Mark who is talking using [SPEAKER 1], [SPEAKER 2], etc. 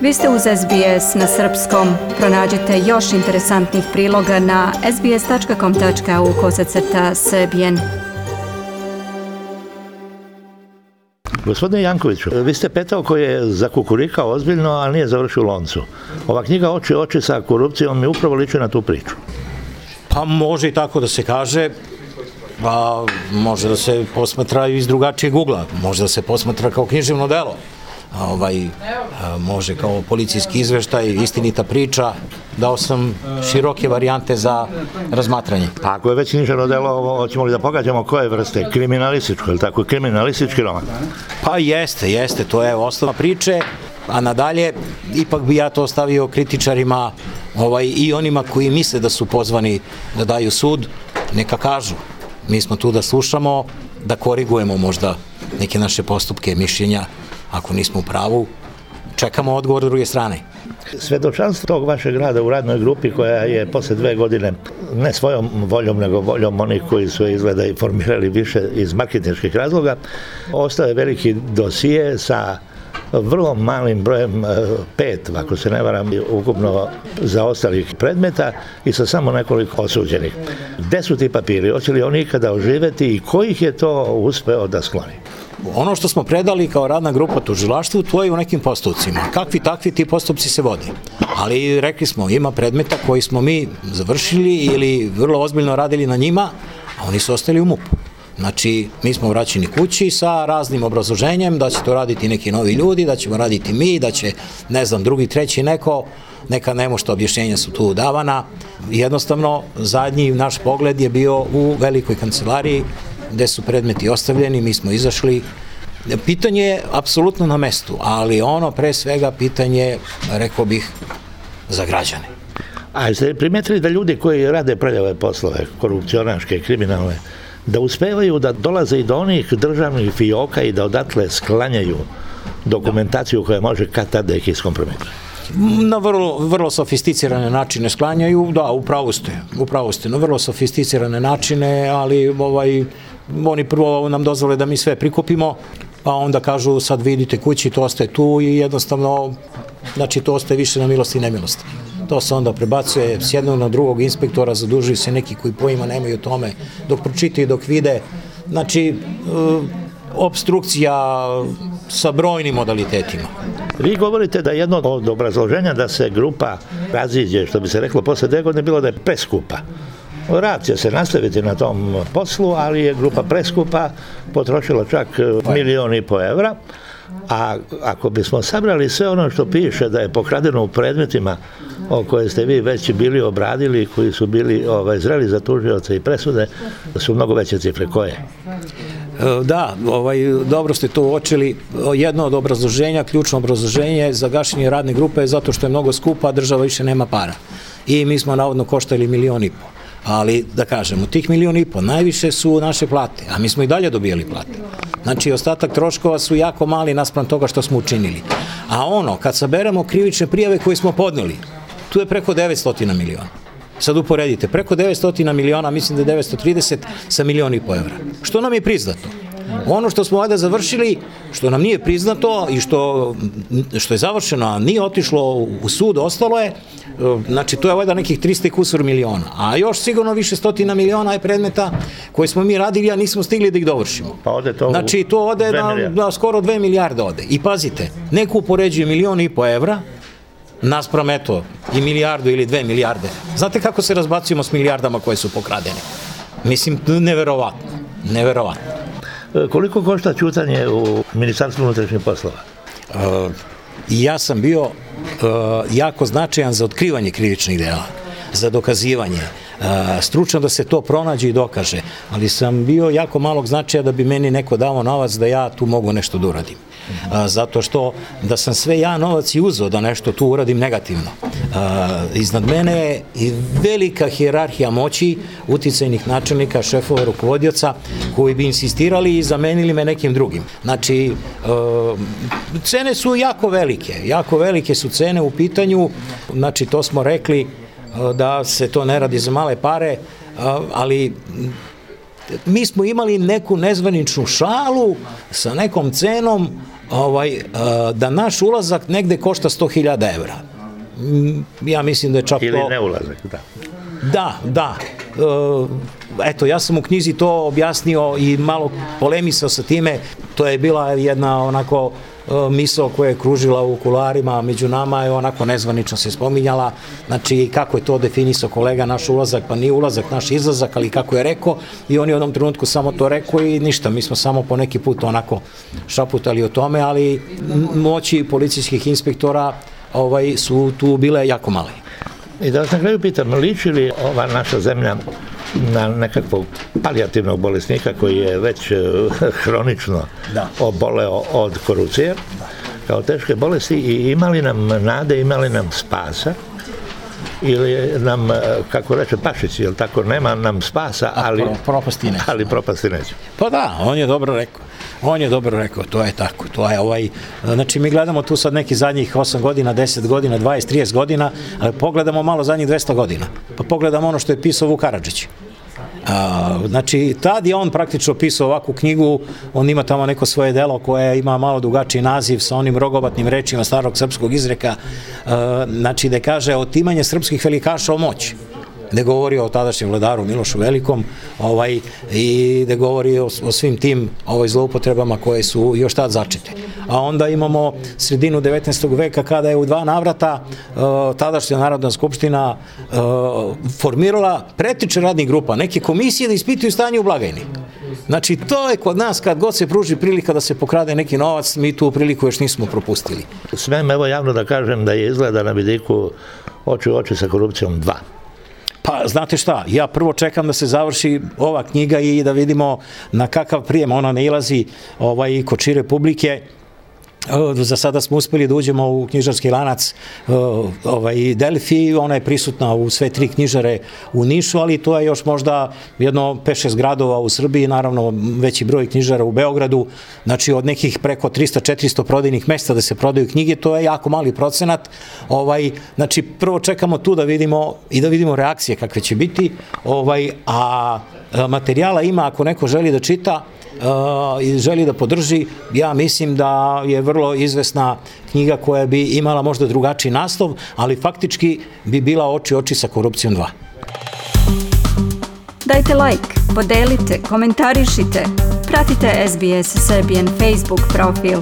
[SPEAKER 1] Vi ste uz SBS na srpskom. Pronađite još interesantnih priloga na sbs.com.au/srbijen.
[SPEAKER 2] Gospodine Jankoviću, vi ste petao koji je zakukurikao ozbiljno, ali nije završio u loncu. Ova knjiga Oči u oči sa korupcijom mi upravo liči na tu priču.
[SPEAKER 3] Pa može i tako da se kaže, pa može da se posmatra iz drugačijeg ugla, može da se posmatra kao književno delo, može kao policijski izveštaj, istinita priča. Dao sam široke varijante za razmatranje.
[SPEAKER 2] A ako je već književno delo, hoćemo li da pogađamo koje vrste? Kriminalističko, ili tako? Kriminalistički roman?
[SPEAKER 3] Pa jeste, to je osnova priče, a nadalje ipak bi ja to ostavio kritičarima i onima koji misle da su pozvani da daju sud, neka kažu. Mi smo tu da slušamo, da korigujemo možda neke naše postupke, mišljenja, ako nismo u pravu, čekamo odgovor s druge strane.
[SPEAKER 2] Svedočanstvo tog vašeg rada u radnoj grupi koja je posle 2 godine, ne svojom voljom, nego voljom onih koji su izgleda i formirali više iz marketinških razloga, ostao je veliki dosije sa vrlo malim brojem, 5, ako se ne varam, ukupno zaostalih predmeta i sa samo nekoliko osuđenih. Gde su ti papiri? Hoće li oni ikada oživeti i ko ih je to uspeo da skloni?
[SPEAKER 3] Ono što smo predali kao radna grupa tužilaštvu, to je u nekim postupcima. Kakvi takvi ti postupci se vode. Ali rekli smo, ima predmeta koji smo mi završili ili vrlo ozbiljno radili na njima, a oni su ostali u MUP-u. Znači, mi smo vraćeni kući sa raznim obrazloženjem da će to raditi neki novi ljudi, da ćemo raditi mi, da će, ne znam, drugi, treći neka nemošta objašnjenja su tu davana. Jednostavno, zadnji naš pogled je bio u velikoj kancelariji gde su predmeti ostavljeni, mi smo izašli. Pitanje je apsolutno na mestu, ali ono pre svega pitanje, rekao bih, za građane.
[SPEAKER 2] A jeste primetili da ljudi koji rade prljave poslove, korupcionaške, kriminalne, da uspevaju da dolaze i do onih državnih fioka i da odatle sklanjaju dokumentaciju koja može kad tad da ih iskompromituje?
[SPEAKER 3] Na vrlo sofisticirane načine sklanjaju, da, upravo ste, na vrlo sofisticirane načine, ali oni prvo nam dozvole da mi sve prikupimo, pa onda kažu sad vidite kući, to ostaje tu i jednostavno, znači to ostaje više na milost i nemilost. To se onda prebacuje s jednog na drugog inspektora, zadužuju se neki koji pojma nemaju o tome, dok pročitaju, dok vide, znači obstrukcija sa brojnim modalitetima.
[SPEAKER 2] Vi govorite da jedno od obrazloženja da se grupa raziđe, što bi se reklo posle 2 godine, bilo da je preskupa. Rad će se nastaviti na tom poslu, ali je grupa preskupa, potrošila čak 1,5 miliona evra, a ako bismo sabrali sve ono što piše da je pokradeno u predmetima o koje ste vi već bili obradili, koji su bili zreli za tužioce i presude, su mnogo veće cifre. Koje?
[SPEAKER 3] Da, dobro ste to uočili. Jedno od obrazloženja, ključno obrazloženje za gašenje radne grupe je zato što je mnogo skupa, a država više nema para. I mi smo navodno koštali 1,5 miliona. Ali, da kažemo, tih 1,5 miliona najviše su naše plate, a mi smo i dalje dobijali plate. Znači, ostatak troškova su jako mali naspram toga što smo učinili. A kad saberemo krivične prijave koje smo podneli, tu je preko 900 miliona. Sad uporedite, preko 900 miliona, mislim da je 930 sa 1,5 miliona evra. Što nam je priznato? Ono što smo ovdje završili, što nam nije priznato i što je završeno, a nije otišlo u sud, ostalo je, znači to je ovdje nekih 300 i kusur miliona. A još sigurno više 100 miliona je predmeta koje smo mi radili, a nismo stigli da ih dovršimo.
[SPEAKER 2] Pa ode to
[SPEAKER 3] znači to ode na skoro 2 milijarde ode. I pazite, neko upoređuje 1,5 miliona evra, naspram eto i 1 milijardu ili 2 milijarde. Znate kako se razbacujemo s milijardama koje su pokradene? Mislim, neverovatno.
[SPEAKER 2] Koliko košta ćutanje u Ministarstvu unutrašnjih poslova?
[SPEAKER 3] Ja sam bio jako značajan za otkrivanje krivičnih dela, za dokazivanje, stručan da se to pronađe i dokaže, ali sam bio jako malog značaja da bi meni neko dao novac da ja tu mogu nešto da uradim. Zato što da sam sve ja novac i uzeo da nešto tu uradim negativno. Iznad mene je i velika hijerarhija moći, uticajnih načelnika, šefova, rukovodioca, koji bi insistirali i zamenili me nekim drugim. Znači, cene su jako velike su cene u pitanju, znači to smo rekli da se to ne radi za male pare, ali mi smo imali neku nezvaničnu šalu sa nekom cenom da naš ulazak negde košta 100.000 evra. Ja mislim da je čak to...
[SPEAKER 2] Ili ne ulazak, da.
[SPEAKER 3] Da. Eto, ja sam u knjizi to objasnio i malo polemisao sa time. To je bila jedna onako misao koja je kružila u kuloarima među nama, je onako nezvanično se spominjala, znači kako je to definisao kolega, naš ulazak, pa nije ulazak, naš izlazak, ali kako je rekao, i on je u jednom trenutku samo to rekao i ništa, mi smo samo po neki put onako šaputali o tome, ali moći policijskih inspektora su tu bile jako male.
[SPEAKER 2] I da vas na kraju pitam, liči li ova naša zemlja na nekakvog palijativnog bolesnika koji je već hronično oboleo od korupcije kao teške bolesti, i ima li nam nade, ima li nam spasa, ili nam, kako reče Pašić, jel tako, nema nam spasa, ali propasti neće.
[SPEAKER 3] Pa da, on je dobro rekao, to je tako, to je znači mi gledamo tu sad neki zadnjih 8 godina, 10 godina, 20, 30 godina, ali pogledamo malo zadnjih 200 godina, pa pogledamo ono što je pisao Vuk Karadžić. Znači, tad je on praktično pisao ovakvu knjigu, on ima tamo neko svoje delo koje ima malo drugačiji naziv sa onim rogobatnim rečima starog srpskog izreka, znači da kaže otimanje srpskih velikaša o moći, gde govori o tadašnjem vladaru Milošu Velikom i gde govori o svim tim zloupotrebama koje su još tad začete. A onda imamo sredinu 19. veka kada je u 2 navrata tadašnja Narodna skupština formirala preteče radnih grupa, neke komisije da ispituju stanje u blagajni. Znači, to je kod nas, kad god se pruži prilika da se pokrade neki novac, mi tu priliku još nismo propustili.
[SPEAKER 2] Smem evo javno da kažem da je izgleda na vidiku Oči u oči sa korupcijom 2.
[SPEAKER 3] Pa, znate šta, ja prvo čekam da se završi ova knjiga i da vidimo na kakav prijem ona nailazi kod šire publike. Za sada smo uspeli da uđemo u knjižarski lanac Delfi, ona je prisutna u sve 3 knjižare u Nišu, ali to je još možda jedno 5-6 gradova u Srbiji, naravno veći broj knjižara u Beogradu, znači od nekih preko 300-400 prodajnih mesta da se prodaju knjige, to je jako mali procenat, znači prvo čekamo tu da vidimo reakcije kakve će biti, a materijala ima ako neko želi da čita i želi da podrži, ja mislim da je vrlo izvesna knjiga koja bi imala možda drugačiji naslov, ali faktički bi bila Oči u oči sa korupcijom 2.
[SPEAKER 1] Dajte like, podelite, komentarišite, pratite SBS Serbian Facebook profil.